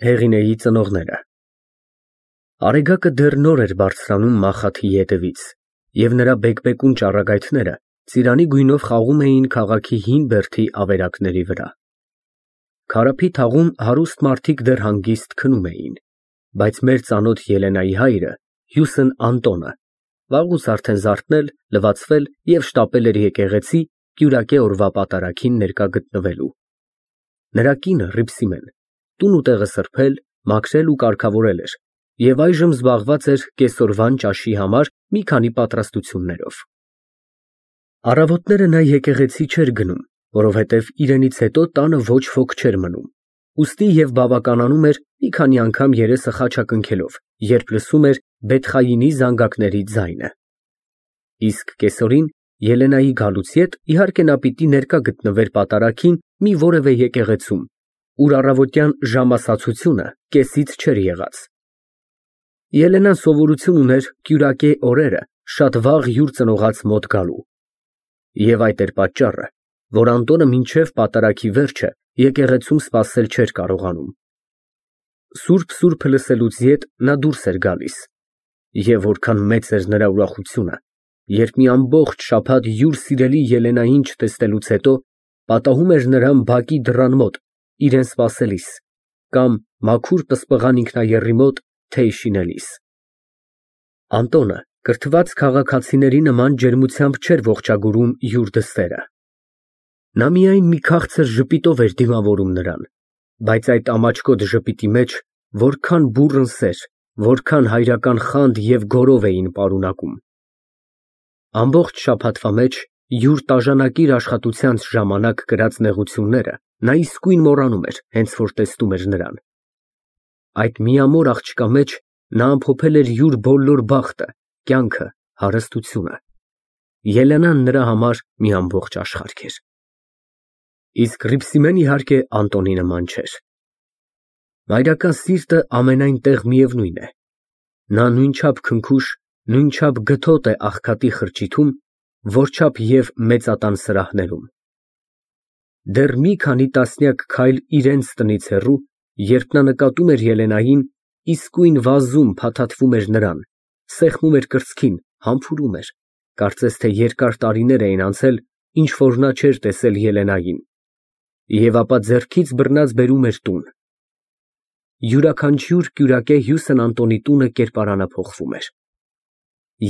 Հեղինեի ծնողները Արեգակը դեռ նոր էր բարձրանում Մախաթիի ետևից, և նրա բեկբեկուն ճառագայթները ծիրանի գույնով խաղում էին քաղաքի հին բերդի ավերակների վրա։ Քարափի թաղում հարուստ մարդիկ դեռ հանգիստ քնում էին, բայց մեր ծանոթ Ելենայի հայրը, Հյուսն Անտոնը, վաղուց արդեն զարթնել, լվացվել և շտապել էր եկեղեցի կյուրակե օրվա պատարագին ներկա գտնվելու։ Նրա կինը Հռիփսիմեն տուն ու տեղը սրբել, մաքրել ու կարգավորել էր և այժմ զբաղված էր կեսօրվան ճաշի համար մի քանի պատրաստություններով։ Առավոտները նա եկեղեցի չէր գնում, որովհետև իրենից հետո տանը ոչ ոք չէր մնում, ուստի և բավականանում էր մի քանի անգամ երեսը խաչակնքելով, երբ լսում էր Բեթխայինի զանգակների ձայնը։ Իսկ կեսօրին Ելենայի գալուց յետ իհարկե նա պիտի ներկա գտնվեր պատարագին մի որևէ եկեղեցում, ուր առավոտյան ժամասացությունը կեսից չէր եղած։ Ելենան սովորություն ուներ կյուրակե օրերը շատ վաղ յուր ծնողաց մոտ գալու։ Եվ այդ էր պատճառը, որ Անտոնը մինչև պատարագի վերջը եկեղեցում սպասել չէր կարողանում։ Սուրբ լսելուց յետ նա դուրս էր գալիս, և որքան մեծ էր նրա ուրախությունը, երբ մի ամբողջ շաբաթ յուր սիրելի Ելենային չտեսնելուց հետո պատահում էր նրան բակի դռան մոտ իրան սպասելիս կամ մաքուր պսպղան ինքնաեռի մոտ թեյ շինելիս։ Անտոնը կրթված քաղաքացիների նման ջերմությամբ չէր ողջագուրում յուր դստերը։ Նա միայն մի քաղցր ժպիտով էր դիմավորում նրան, բայց այդ ամաչկոտ ժպիտի մեջ որքան բուռն սեր, որքան հայրական խանդ և գոռով էին պարունակում։ Ամբողջ շաբաթվա մեջ յուր տաժանակիր աշխատությանց ժամանակ կրած նեղությունները նա իսկույն մոռանում էր, հենց որ տեսնում էր նրան։ Այդ միամոր աղջկա մեջ նա ամփոփել էր յուր բոլոր բախտը, կյանքը, հարստությունը։ Ելենան նրա համար մի ամբողջ աշխարհ էր։ Իսկ Հռիփսիմեն իհարկե Անտոնի նման չէր։ Մայրական սիրտը ամենայն տեղ միևնույն է։ Նա նույնչափ քնքուշ, նույնչափ գթոտ է աղքատի խրճիթում, որչափ և մեծատան սրահներում։ Դեռ մի քանի տասնյակ քայլ իրենց տնից հեռու, երբ նա նկատում էր Ելենային, իսկույն վազում փաթաթվում էր նրան, սեղմում էր կրծքին, համբուրում էր, կարծես թե երկար տարիներ էին անցել, ինչ որ նա չէր տեսել Ելենային, և ապա ձեռքից բռնած բերում էր տուն։ Յուրաքանչյուր կյուրակե Հյուսն Անտոնի տունը կերպարանափոխվում էր։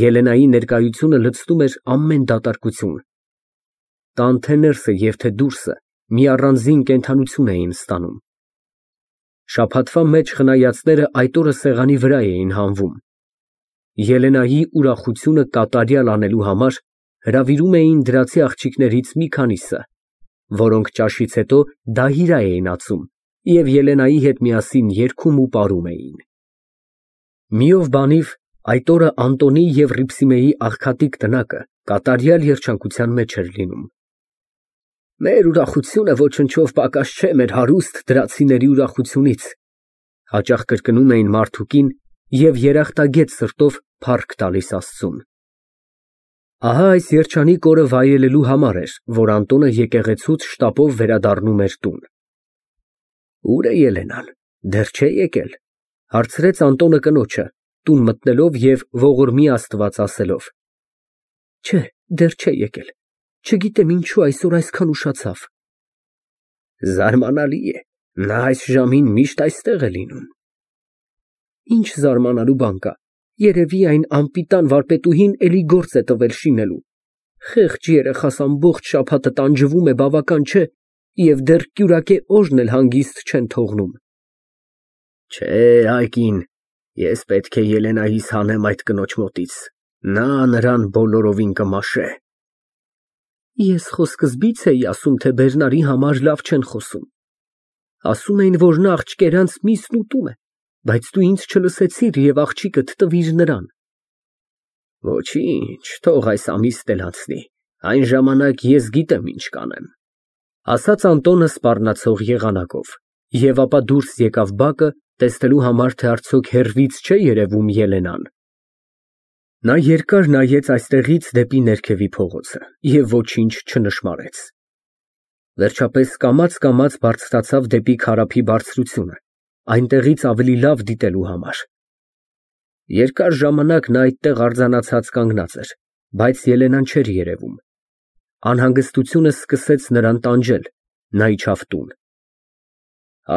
Ելենայի ներկայությունը լցնում էր ամեն դատարկություն։ Տան թե ներսը և թե դուրսը մի առանձին կենդանություն էին ստանում։ Շաբաթվա մեջ խնայածները այդ օրը սեղանի վրա էին հանվում։ Ելենայի ուրախությունը կատարյալ անելու համար հրավիրում էին դրացի աղջիկներից մի քանիսը, որոնք ճաշից հետո դահիրա էին ածում և Ելենայի հետ միասին երգում ու պարում էին։ Մի ով բանիվ այդ օրը Անտոնի և Հռիփսիմեի աղքատիկ տնակը կատարյալ երջանկության մեջ էր լինում։ Մեր ուրախությունը ոչնչով պակաս չէ մեր հարուստ դրացիների ուրախությունից, հաճախ կրկնում էին մարդուկին և երախտագետ սրտով փառք տալիս Աստծուն։ Ահա այս երջանիկ օրը վայելելու համար էր, որ Անտոնը եկեղեցուց շտապով վերադառնում էր տուն։ Ո՞ւր է Ելենան, դեռ չէ՞ եկել, հարցրեց Անտոնը կնոջը, տուն մտնելով և ողորմի Աստված ասելով։ Չէ, դեռ չէ եկել, չգիտեմ ինչու այսօր այսքան ուշացավ։ Զարմանալի է, նա այս ժամին միշտ այստեղ է լինում։ Ինչ զարմանալու բան կա, երևի այն անպիտան վարպետուհին էլի գործ է տվել շինելու։ Խեղճ երեխաս ամբողջ շաբաթը տանջվում է, բավական չէ, և դեռ կյուրակե օրն էլ հանգիստ չեն թողնում։ Չէ, այ կին, ես պետք է Ելենայիս հանեմ այդ կնոջ մոտից, նա նրան բոլորովին կմաշե։ Ես խո սկզբից էի ասում, թե Բերնարի համար լավ չեն խոսում։ Ասում էին, որ նա աղջկերանց միսն ուտում է, բայց դու ինձ չլսեցիր և աղջիկդ տվիր նրան։ Ոչինչ, թող այս ամիսն էլ անցնի, այն ժամանակ ես գիտեմ ինչ կանեմ, ասաց Անտոնը սպառնացող եղանակով, և ապա դուրս եկավ բակը, տեսնելու համար, թե արդյոք հեռվից չէ երևում Ելենան։ Նա երկար նայեց այստեղից դեպի ներքևի փողոցը և ոչինչ չնշմարեց։ Վերջապես կամաց բարձրացավ դեպի քարափի բարձրությունը այնտեղից ավելի լավ դիտելու համար։ Երկար ժամանակ նա այդտեղ արձանացած կանգնած էր, բայց Ելենան չէր երևում։ Անհանգստությունը սկսեց նրան տանջել, նա իջավ տուն։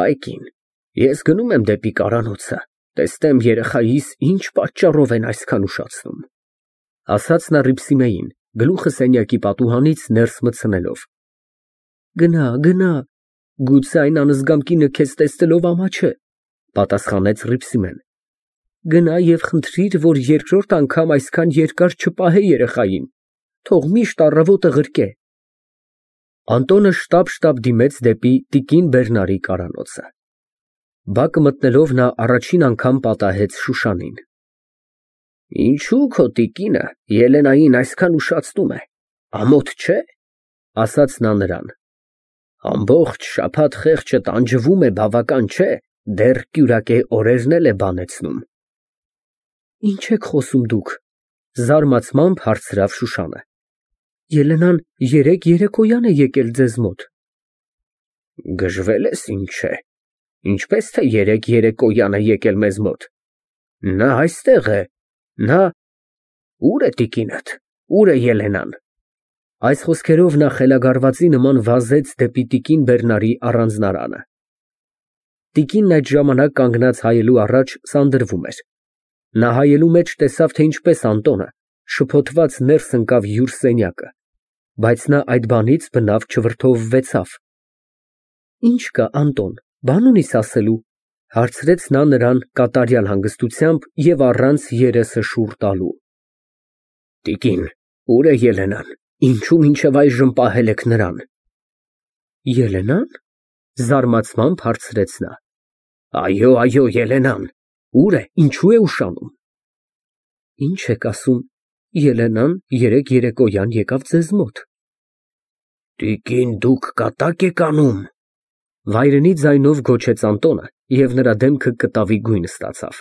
Այ կին, ես գնում եմ դեպի կառանոցը, տեսնեմ երեխայիս ինչ պատճառով են այսքան ուշացնում, ասաց նա Հռիփսիմեին, գլուխը սենյակի պատուհանից ներս մտցնելով։ Գնա, գուցե այն անզգամ կինը քեզ տեսնելով ամաչե, պատասխանեց Հռիփսիմեն։ Գնա և խնդրիր, որ երկրորդ անգամ այսքան երկար չպահե երեխային, թող միշտ առավոտը ղրկե։ Անտոնը շտապ դիմեց դեպի տիկին Բերնարի կառանոցը։ Բակը մտնելով նա առաջին անգամ պատահեց Շուշանին։ Ինչու քո տիկինը Ելենային այսքան ուշացնում է, ամոթ չէ, ասաց նա նրան։ Ամբողջ շաբաթ խեղճը տանջվում է, բավական չէ, դեռ կյուրակե օրերն էլ է բանեցնում։ Ինչ եք խոսում դուք, զարմացմամբ հարցրավ Շուշանը։ Ելենան երեկ երեկոյան է եկել ձեզ մոտ։ Գժվել ես ինչ է, ինչպես թե երեկ երեկոյան է եկել մեզ մոտ։ Նա այստեղ է, նա… Ուր է տիկինդ, ուր է Ելենան։ Այս խոսքերով նա խելագարվածի նման վազեց դեպի տիկին Բերնարի առանձնարանը։ Տիկինն այդ ժամանակ կանգնած հայելու առաջ սանդրվում էր։ Նա հայելու մեջ տեսավ, թե ինչպես Անտոնը շփոթված ներս ընկավ յուր սենյակը, բայց նա այդ բանից բնավ չվրդովվեցավ։ Ինչ կա, Անտոն, բան ունիս ասելու, հարցրեց նա նրան կատարյալ հանգստությամբ և առանց երեսը շուռ տալու։ Տիկին, ուր է Ելենան, ինչու մինչև այժմ պահել եք նրան։ Ելենան, զարմացմամբ հարցրեց նա։ Այո, Ելենան, ուր է, ինչու է ուշանում։ Ինչ եք ասում, Ելենան երեկ երեկոյան եկավ ձեզ մոտ։ Տիկին, դուք կատակ եք անում։ Վայրենի ձայնով գոչեց Անտոնը, և նրա դեմքը կտավի գույն ստացավ։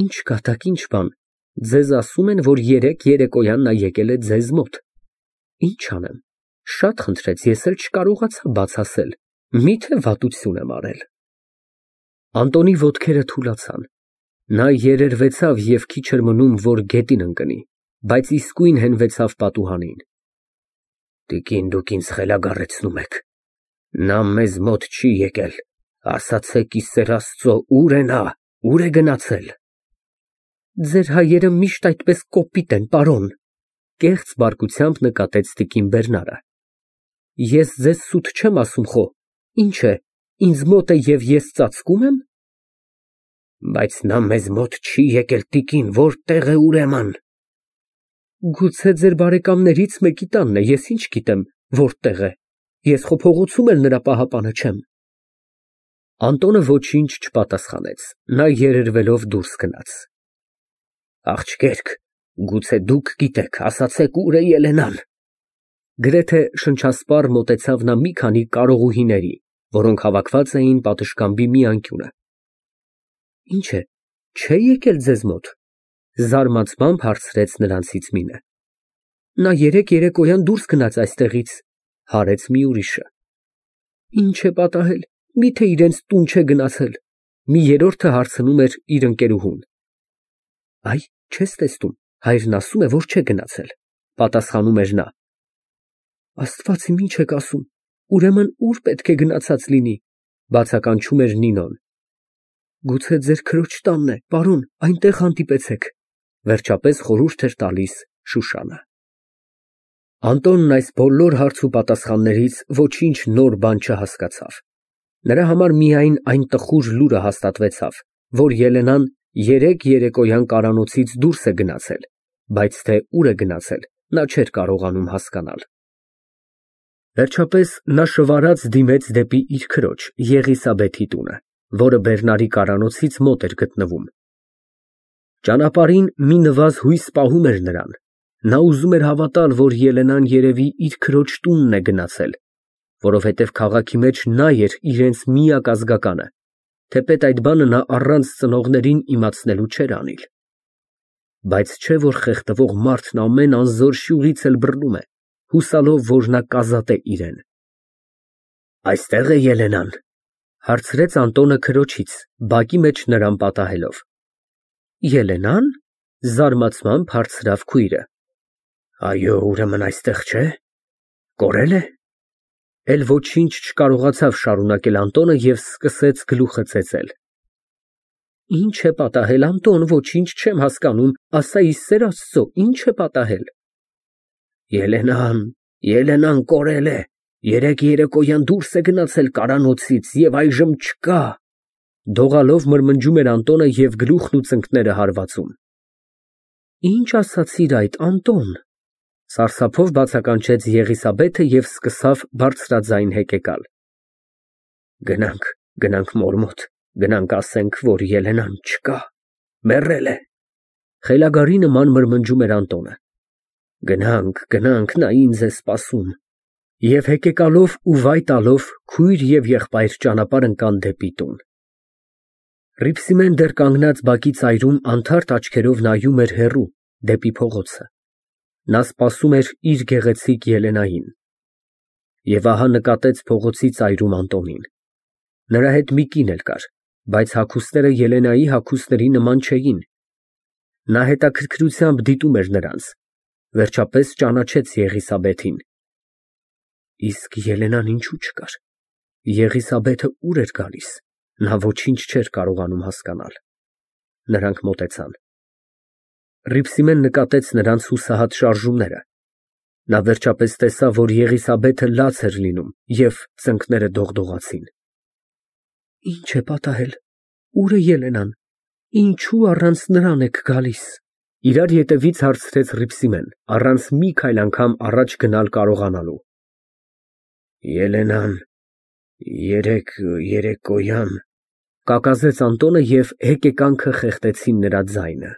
Ինչ կատակ, ինչ բան, ձեզ ասում են, որ երեկ երեկոյան նա եկել է ձեզ մոտ։ Ինչ անեմ, շատ խնդրեց, ես էլ չկարողացա բաց ասել, միթե վատություն եմ արել։ Անտոնի ոտքերը թուլացան։ Նա երերվեցավ և քիչ էր մնում, որ գետին ընկնի, բայց իսկույն հենվեցավ պատուհանին։ Տիկին, դուք ինձ խելագարեցնում եք։ Նա մեզ մոտ չի եկել, ասացեք ի սեր Աստծո, ուր է նա, ուր է գնացել։ Ձեր հայերը միշտ այդպես կոպիտ են, պարոն, կեղծ բարկությամբ նկատեց տիկին Բերնարը։ Ես ձեզ սուտ չեմ ասում խո, ինչ է, ինձ մոտ է և ես ծածկում եմ։ Բայց նա մեզ մոտ չի եկել, տիկին, որտեղ է ուրեմն։ Գուցե ձեր բարեկամներից մեկի տանն է, ես ինչ գիտեմ, որտեղ է։ Ես խո փողոցում էլ նրա պահապանը չեմ։ Անտոնը ոչինչ չպատասխանեց, նա երերվելով դուրս գնաց։ Աղջկերք, գուցե դուք գիտեք, ասացեք, ուր է Ելենան։ Գրեթե շնչասպառ մոտեցավ նա մի քանի կարողուհիների, որոնք հավաքված էին պատշգամբի մի անկյունը։ Ինչ է, չէ եկել ձեզ մոտ, զարմացմամբ հարցրեց նրանցից մինը։ Նա երեկ երեկոյան դուրս գնաց այստեղից, հարեց մի ուրիշը։ Ինչ է պատահել, միթե իրենց տուն չէ գնացել, մի երրորդը հարցնում էր իր ընկերուհուն։ Այ, չես տեսնում, հայրն ասում է, որ չէ գնացել, պատասխանում էր նա։ Աստված իմ, ինչ եք ասում, ուրեմն ուր պետք է գնացած լինի, բացականչում էր Նինոն։ Գուցե ձեր քրոջ տանն է, պարոն, այնտեղ հանդիպեցեք, վերջապես խորհուրդ էր տալիս Շուշանը։ Անտոնն այս բոլոր հարց ու պատասխաններից ոչինչ նոր բան չհասկացավ։ Նրա համար միայն այն տխուր լուրը հաստատվեցավ, որ Ելենան երեկ երեկոյան կառանոցից դուրս է գնացել, բայց թե ուր է գնացել, նա չէր կարողանում հասկանալ։ Վերջապես նա շվարած դիմեց դեպի իր քրոջ Եղիսաբեթի տունը, որը Բերնարի կառանոցից մոտ էր գտնվում։ Ճանապարհին մի նվազ հույս պահում էր նրան։ Նա ուզում էր հավատալ, որ Ելենան երևի իր քրոջ տունն է գնացել, որովհետև քաղաքի մեջ նա էր իրենց միակ ազգականը, թեպետ այդ բանը նա առանց ծնողներին իմացնելու չէր անիլ։ Բայց չէ որ խեղդվող մարդն ամեն անզոր շյուռից էլ բռնում է, հուսալով, որ նա կազատե իրեն։ Այստեղ է Ելենան, Հարցրեց Անտոնը քրոջից, բակի մեջ նրան պատահելով։ Ելենա՞ն, զարմացմամբ հարցրավ քույրը։ Այո, ուրեմն այստեղ չէ։ Կորել է։ Էլ ոչինչ չկարողացավ շարունակել Անտոնը և սկսեց գլուխը ծեծել։ Ինչ է պատահել, Անտոն, ոչինչ չեմ հասկանում, ասա ի սեր Աստծո, ինչ է պատահել։ Ելենան կորել է, երեկ երեկոյան դուրս է գնացել կարանոցից և այժմ չկա, դողալով մրմնջում էր Անտոնը և գլուխն ու ծնկները հարվածում։ Ինչ ասացիր այդ, Անտոն, սարսափով բացականչեց Եղիսաբեթը և սկսավ բարձրաձայն հեկեկալ։ Գնանք մոր մոտ, գնանք ասենք, որ Ելենան չկա, մեռել է, խելագարի նման մրմնջում էր Անտոնը։ Գնանք, նա ինձ է սպասում։ Եվ հեկեկալով ու վայ տալով քույր և եղբայր ճանապարհ ընկան դեպի տուն։ Հռիփսիմեն դեռ կանգնած բակի ծայրում անթարթ աչքերով նայում էր հեռու, դեպի փողոցը։ Նա սպասում էր իր գեղեցիկ Ելենային։ Եվ ահա նկատեց փողոցի ծայրում Անտոնին։ Նրա հետ մի կին էլ կար, բայց հագուստները Ելենայի հագուստների նման չէին։ Նա հետաքրքրությամբ դիտում էր նրանց, վերջապես ճանաչեց Եղիսաբեթին։ Իսկ Ելենան ինչու չկար։ Եղիսաբեթը ուր էր գալիս, նա ոչինչ չէր կարողանում հասկանալ։ Նրանք մոտեցան։ Հռիփսիմեն նկատեց նրանց հուսահատ շարժումները։ Նա վերջապես տեսավ, որ Եղիսաբեթը լաց էր լինում և ծնկները դողդողացին։ Ինչ է պատահել, ուր է Ելենան, ինչու առանց նրան եք գալիս։ Իրար ետևից հարցրեց Հռիփսիմեն, առանց մի քայլ անգամ առաջ գնալ կարողանալու։ Ելենան երեկոյան, կակազեց Անտոնը և հեկեկանքը խեղդեցին նրա ձայնը։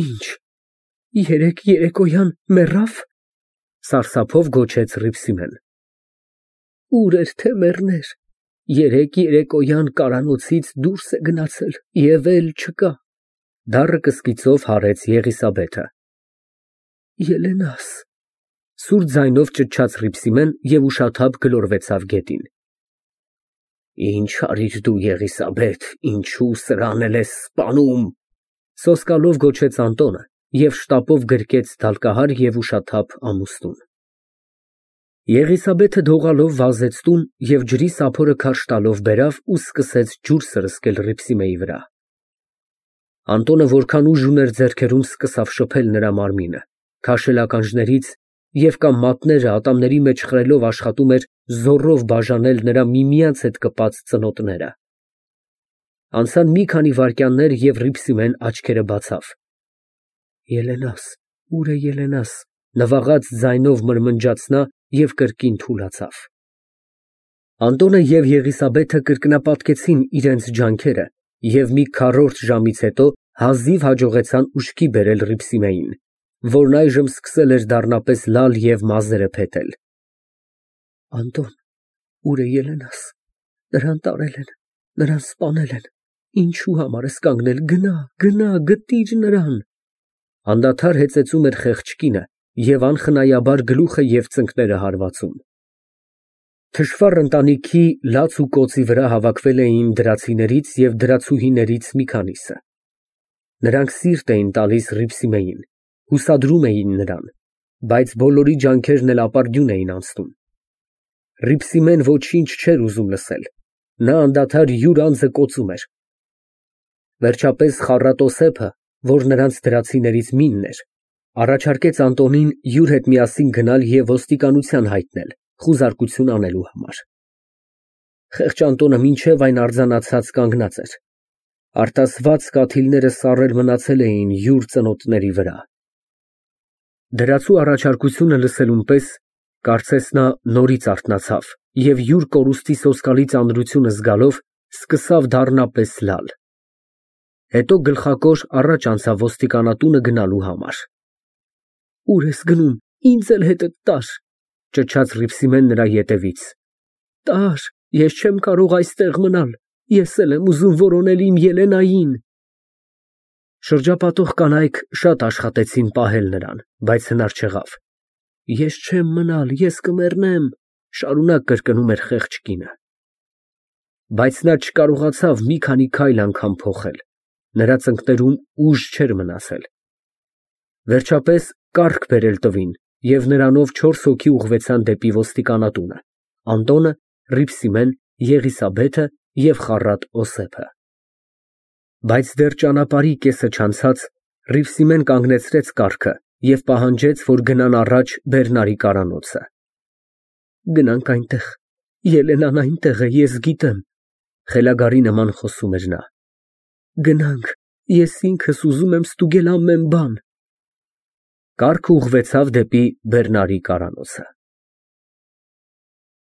Ինչ, երեկոյան մեռավ, սարսափով գոչեց Հռիփսիմեն։ Ուր էր թե մեռներ, երեկոյան կարանոցից դուրս է գնացել և էլ չկա, դառը կսկիծով հարեց Եղիսաբեթը։ Ելենաս, սուր ձայնով ճչաց Հռիփսիմեն և ուշաթափ գլորվեցավ գետին։ Ինչ արիր դու, Եղիսաբեթ, ինչու սրան էլ ես սպանում, սոսկալով գոչեց Անտոնը և շտապով գրկեց դալկահար և ուշաթափ ամուստուն։ Եղիսաբեթը դողալով վազեց տուն և ջրի սափորը քարշ տալով բերավ ու սկսեց ջուր սրսկել Հռիփսիմեի վրա։ Անտոնը որքան ուժ ուներ ձեռքերում, սկսավ շփել նրա մարմինը, քաշել ականջներից և կամ մատները ատամների մեջ խրելով աշխատում էր զոռով բաժանել նրա միմյանց հետ կպած ծնոտները։ Անցան մի քանի վայրկյաններ և Հռիփսիմեն աչքերը բացավ։ Ելենաս, ուր է Ելենաս, նվաղած ձայնով մրմնջաց նա և կրկին թուլացավ։ Անտոնը և Եղիսաբեթը կրկնապատկեցին իրենց ջանքերը և մի քառորդ ժամից հետո հազիվ հաջողեցան ուշքի բերել Հռիփսիմեին, որն այժմ սկսել էր դառնապես լալ և մազերը փետել։ Անտոն, ուր է Ելենաս, նրան տարել են, նրան սպանել են, ինչու համար ես կանգնել, գնա, գտիր նրան։ Անդադար հեծեծում էր խեղճ կինը և անխնայաբար գլուխը և ծնկները հարվածում։ Թշվառ ընտանիքի լաց ու կոծի վրա հավաքվել էին դրացիներից և դրացուհիներից մի քանիսը։ Նրանք սիրտ էին տալիս Հռիփսիմեին, հուսադրում էին նրան, բայց բոլորի ջանքերն էլ ապարդյուն էին անցնում։ Հռիփսիմեն ոչինչ չէր ուզում լսել, նա անդադար յուր անձը կոծում էր։ Վերջապես Խառատոսեփը, որ նրանց դրացիներից մինն էր, առաջարկեց Անտոնին յուր հետ միասին գնալ և ոստիկանության հայտնել, խուզարկություն անելու համար։ Խեղճ Անտոնը մինչև այն արձանացած կանգնած էր։ Արտասված կաթիլները սառել մնացել էին յուր ծնոտների վրա։ Դրացու առաջարկությունը լսելուն պես, կարծես նա նորից արթնացավ և յուր կորուստի սոսկալի ծանրությունը զգալով սկսավ դառնապես լալ։ Հետո գլխակոր առաջ անցավ ոստիկանատունը գնալու համար։ Ուր ես գնում, ինձ էլ հետդ տար, ճչաց Հռիփսիմեն նրա ետևից։ Տար, ես չեմ կարող այստեղ մնալ, ես էլ եմ ուզում որոնել իմ Ելենային։ Շրջապատող կանայք շատ աշխատեցին պահել նրան, բայց հնար չեղավ։ Ես չեմ մնալ, ես կմեռնեմ, շարունակ կրկնում էր խեղճ կինը։ Բայց նա չկարողացավ մի քանի քայլ անգամ փոխել, նրա ծնկներում ուժ չէր մնացել։ Վերջապես կառք բերել տվին, և նրանով 4 հոգի ուղղվեցան դեպի ոստիկանատունը՝ Անդոնը, Հռիփսիմեն, Եղիսաբեթը և խառատ Օսեփը։ Բայց դեռ ճանապարհի կեսը չանցած, Հռիփսիմեն կանգնեցրեց կառքը և պահանջեց, որ գնան առաջ Բեռնարի կարանոցը։ Գնանք այնտեղ, Ելենան այնտեղ է, ես գիտեմ, խելագարի նման խոսում էր նա։ Գնանք, ես ինքս ուզում եմ ստուգել ամեն բան։ Կառքն ուղղվեցավ դեպի Բեռնարի կարանոցը։